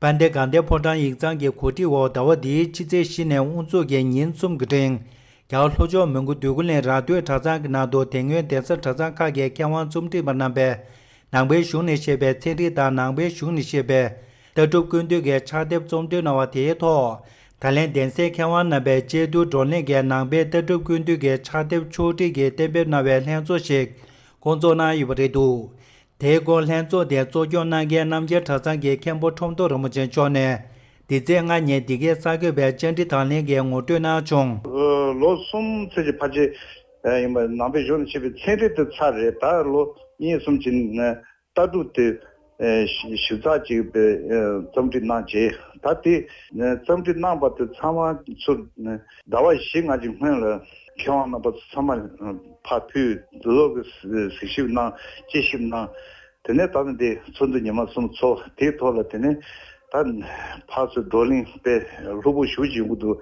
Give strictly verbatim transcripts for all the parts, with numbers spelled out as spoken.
དཔལ་ལྡན་དགའ་ལྡན་ཕོ་བྲང་ཡིག་ཚང་གི་གོ་སྒྲིག་འོག་ཟླ་བ་འདིའི་ཕྱི་ཚེས་བཞི་ནས་དབུ་འཛུགས་ཀྱིས་ཉིན་གསུམ་གྱི་རིང་། རྒྱ་གར་ལྷོ་ཕྱོགས་མོན་གྷོ་འདོད་རྒུ་གླིང་ར་སྟོད་གྲྭ་ཚང་གི་ནང་དུ་དེ་སྔོན་གདན་ས་གྲྭ་ཚང་ཁག་གི་མཁས་དབང་རྩོམ་སྒྲིག་པ་རྣམ་པས། ནང་པའི་གཞུང་ནས་བཤད་པའི་ཚན་རིག་དང་ནང་པའི་གཞུང་ནས་བཤད་པའི་ལྟ་གྲུབ་ཀུན་བཏུས་ཀྱི་ཕྱག་དེབ་རྩོམ་སྒྲིག་གནང་བ་དེའི་ཐོག་ད་ལན་གདན་སའི་མཁས་དབང་རྣམ་པས་དཔྱད་བསྡུར་བགྲོ་གླེང་གིས་ནང་པའི་ལྟ་གྲུབ་ཀུན་བཏུས་ཀྱི་ཕྱག་དེབ་ཕྱོགས་སྒྲིག་གིས་གཏན་འབེབས་གནང་བའི་ལྷན་ཚོགས་ཤིག་བསྐོང་ཚོགས་གནང་ཡོད་པ་རེད་འདུག་དེའི་སྐོར་ལྷན་ཚོགས་དེ་གཙོ་སྐྱོང་གནང་མཁན་རྣམ་རྒྱལ་གྲྭ་ཚང་གི་མཁན་པོ་ཁྲོམ་ཐོག་རིན་པོ་ཆེ་མཆོག་ནས་འདི་ཚེས་ལྔ་ཉིན་འདི་གའི་གསར་འགོད་པའི་བཅར་འདྲི་དང་ལེན་གྱི་ངོ་སྤྲོད་གནང་བྱུང་། ལོ་གསུམ་ཙམ་གྱི་ཕལ་ཆེར་ཡིན་པ། ནང་པའི་གཞུང་ནས་བཤད་པའི་ཚན་རིག་དེ་ཚར་རེད། ད་ལོ་གཉིས་གསུམ་གྱི་ནང་ལྟ་གྲུབ་དེ་ཞིབ་ཚགས་ཅིག་རྩོམ་སྒྲིག་གནང་རྗེས། ད་དེ་རྩོམ་སྒྲིག་གནང་བ་དེ་ཚང་མ་ཚུར་ཟླ་བ་བཞི་ལྔ་གི་སྔོན་ལ་མཁས་དབང་རྣམ་པ་ཚང་མ་ཕར་ཕུལ། དེ་ཚོ་གི་གཟིགས་ཞིབ་གནང་། དཔྱད་ཞིབ་གནང་། དེ་ནས་ད་ནི་འདི་ཚོགས་འདུ་ཉི་མ་གསུམ་ཚོགས། དེའི་ཐོག་ལ་དེ་ནས་ད་ཕར་ཚུར་བགྲོ་གླེང་དཔེ་ལྷུག་པོ་ཞེ་པོ་ཅིག་ཡོང་གི་འདུག་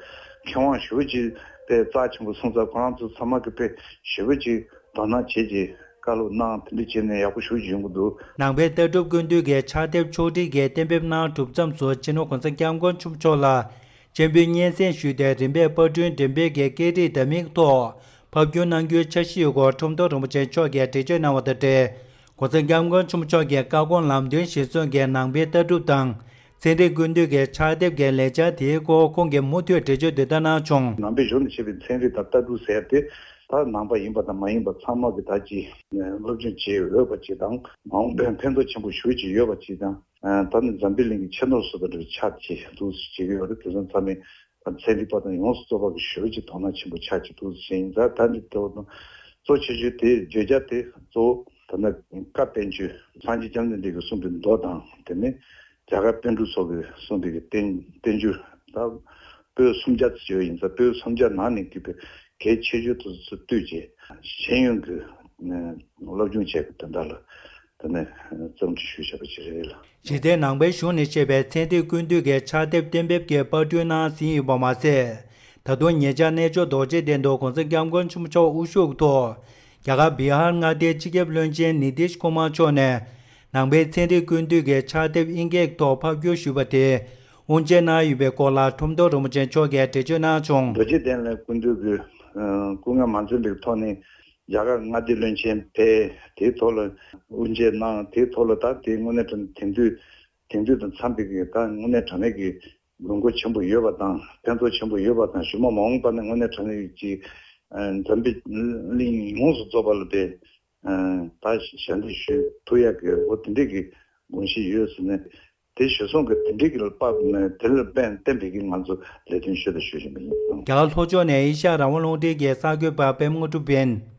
མཁས་དབང་ཞེ་པོ་ཅིག་དཔེ་རྩ་ཆེན་པོ་སོང་ཙང་། ཁོ་རང་ཚོ་ཚང་མ་གི་དཔེ་ཞེ་པོ་ཅིག་དོ་སྣང་བྱེད་ཀྱི་བཀའ་སློབ་གནང་། དེ་འདྲ་བྱས་ནས་ཡག་པོ་ཞེ་པོ་ཅིག་ཡོང་གི་འདུག་ནང་པའི་ལྟ་གྲུབ་ཀུན་བཏུས་ཀྱི་ཕྱག་དེབ་ཕྱོགས་སྒྲིག་གིས་གཏན་འབེབས་གནང་གྲུབ་མཚམས་སུ་སྤྱི་ནོར་གོང་ས་སྐྱབས་མགོན་ཆེན་པོ་མཆོག་ལ་སྤྱན་འབུལ་སྙན་སེང་ཞུས་ཏེ། རིམ་པས་དཔར་སྐྲུན་འགྲེམས་སྤེལ་གྱི་སྐད་རིགས་འདྲ་མིན་ཐོག་ཕབ་བསྒྱུར་གནང་རྒྱུའི་འཆར་གཞི་ཡོད་སྐོར་ཁྲོམ་ཐོག་རིན་པོ་ཆེ་མཆོག་གིས་འགྲེལ་བརྗོད་གནང་བ་དང་འབྲེལ། གོང་ས་སྐྱབས་མགོན་ཆེན་པོ་མཆོག་གི་བཀའ་དགོངས་ལམ་སྟོན་གཞིར་བཟུང་གིས་ནང་པའི་ལྟ་གྲུབ་དང་ཚན་རིག་ཀུན་བཏུས་ཀྱི་ཕྱག་དེབ་ཀྱི་ལས་འཆར་དེའི་སྐོར་ཁོང་གིས་མུ་མཐུད་འགྲེལ་བརྗོད་འདི་ལྟར་གནང་བྱུང་། ནང་པའི་གཞུང་ནས་བཤད་པའི་ཚན་རིག་དང་ལྟ་གྲུབ་ཟེར་ཏེ། ད་ནང་པ་ཡིན་པ་དང་མ་ཡིན་པ་ཚང་མ་གི་ད་ཅི་སློབ་སྦྱོང་བྱེད་འོས་པ་ཅིག་དང་། མ་འོངས་པའི་ཕན་ཐོགས་ཆེན་པོ་ཞེ་པོ་ཅིག་ཡོད་པ་ཅིག་དང་། ད་ནི་འཛམ་བུའི་གླིང་གི་ཆེས་མཐོར་སོན་པ་འདྲ་བའི་ཆ་ཅིག་འདུག་སེ་བྱེད་ཀྱི་ཡོད་རེད། དེ་ཚོ་ཚང་མས་ཚན་རིག་པ་དང་ཡོངས་སུ་རྫོགས་པ་གི་ཞེ་པོ་ཅིག་དོ་སྣང་ཆེན་པོ་ཆགས་ཀྱི་འདུག་ཟེར་ཡིན། ད་ད་འདི་ལྟ་བུ་དང་གཙོ་ཆེ་ཤོས་དེ་བརྗོད་བྱ་དེ་གཙོ་བོ་ད་ནི་བཀའ་བསྟན་བཅོས། སངས་རྒྱས་བཅོམ་ལྡན་འདས་ཀྱིས་གསུངས་པའི་མདོ་དང་། དེ་ནས་རྒྱ་གར་པཎ་གྲུབ་སོགས་ཀྱིས་གསུངས་པའི་བསྟན་བསྟན་བཅོས། ད་པོད་སུམ་བརྒྱ་ཙམ་ཡོད་ཡིན་ཙང་། པོད་སུམ་བརྒྱ་ནང་ནས་བརྒྱུད་པའི་གལ་ཆེ་ཤོས་དེ་ཚོ་བཏུས་རྗེས་ཤེས་ཡོན་གྱི་སློབ་སྦྱོང་བྱས་པའི་དོན་དག་ལ་དེ་ནས་རྩོམ་སྒྲིག་ཞུས་བཞག་པ་ཞིག་རེད་ལ། གཞི་རྩའི་ནང་པའི་གཞུང་ནས་བཤད་པའི་ཚན་རིག་ཀུན་བཏུས་ཀྱི་ཕྱག་དེབ་གཏན་འབེབས་ཀྱིས་པར་སྐྲུན་གནང་ཟིན་ཡོད་པ་མ་ཟད། ད་དུང་ཉེ་ཆར་གནས་མཆོག་རྡོ་རྗེ་གདན་དུ་གོང་ས་སྐྱབས་མགོན་ཆེན་པོ་མཆོག་དབུ་བཞུགས་ཐོག་རྒྱ་གར་བི་ཧར་མངའ་སྡེའི་སྤྱི་ཁྱབ་བློན་ཆེན་ནི་ཏིཤ་ཀུ་མར་མཆོག་ནས་ནང་པའི་ཚན་རིག་ཀུན་བཏུས་ཀྱི་ཕྱག་དེབ་དབྱིན་སྐད་ཐོག་ཕབ་བསྒྱུར་ཞུས་པ་དེ་དབུ་འབྱེད་གནང་ཡོད་པའི་སྐོར་ལ་ཁྲོམ་ཐོག་རིན་པོ་ཆེ་མཆོག་གིས་འགྲེལ་བརྗོད་གནང་བྱུང་། རྡོ་རྗེ་གདན་ལ་སྐུ་མདུན་གྱིས་སྐུ་ངལ་མ་འཛེམས་པའི་ཐོག་ནས་རྒྱ་གར་མངའ་སྡེའི་བློན་ཆེན་ཕེབས། དེའི་ཐོག་ལ་དབུ་འབྱེད་གནང་། དེའི་ཐོག་ལ་ད་དེ་དངོས་གནས་དྲང་དེང་དུས་དེང་དུས་དང་འཚམས་པའི་གི་ད་དངོས་གནས་དྲང་གནས་ཀྱི་དགོས་མཁོ་ཆེན་པོ་ཡོད་པ་དང་། ཕན་ཐོགས་ཆེན་པོ་ཡོད་པ་དང་། གཞུག་མ་མ་འོངས་པ་ན་དངོས་གནས་དྲང་གནས་ཀྱི་འཛམ་བུ་གླིང་ཡོངས་སུ་རྫོགས་པ་ལ་དེ་ད་ཞལ་འདེབས་ཞུ་ཐུབ་ཡག་གི་འོ་དེ་འདྲས་ཀྱི་དགོངས་གཞི་ཡོད་ཟེར་ནས། དེ་གཞིར་བཟུང་གི་དེ་འདྲའི་གི་ལ་དཔག་ནས་དེ་ལ་དཔལ་བསྟན་པའི་གི་ང་ཚོ་ལས་དོན་ཞུ་དང་ཞུ་བཞིན་པ་ཡིན། རྒྱ་གར་ལྷོ་ཕྱོགས་ནས་ཨེ་ཤ་ཡ་རང་དབང་རླུང་འཕྲིན་གྱི་གསར་འགོད་པ་པད་མ་དངོས་གྲུབ་ཡིན།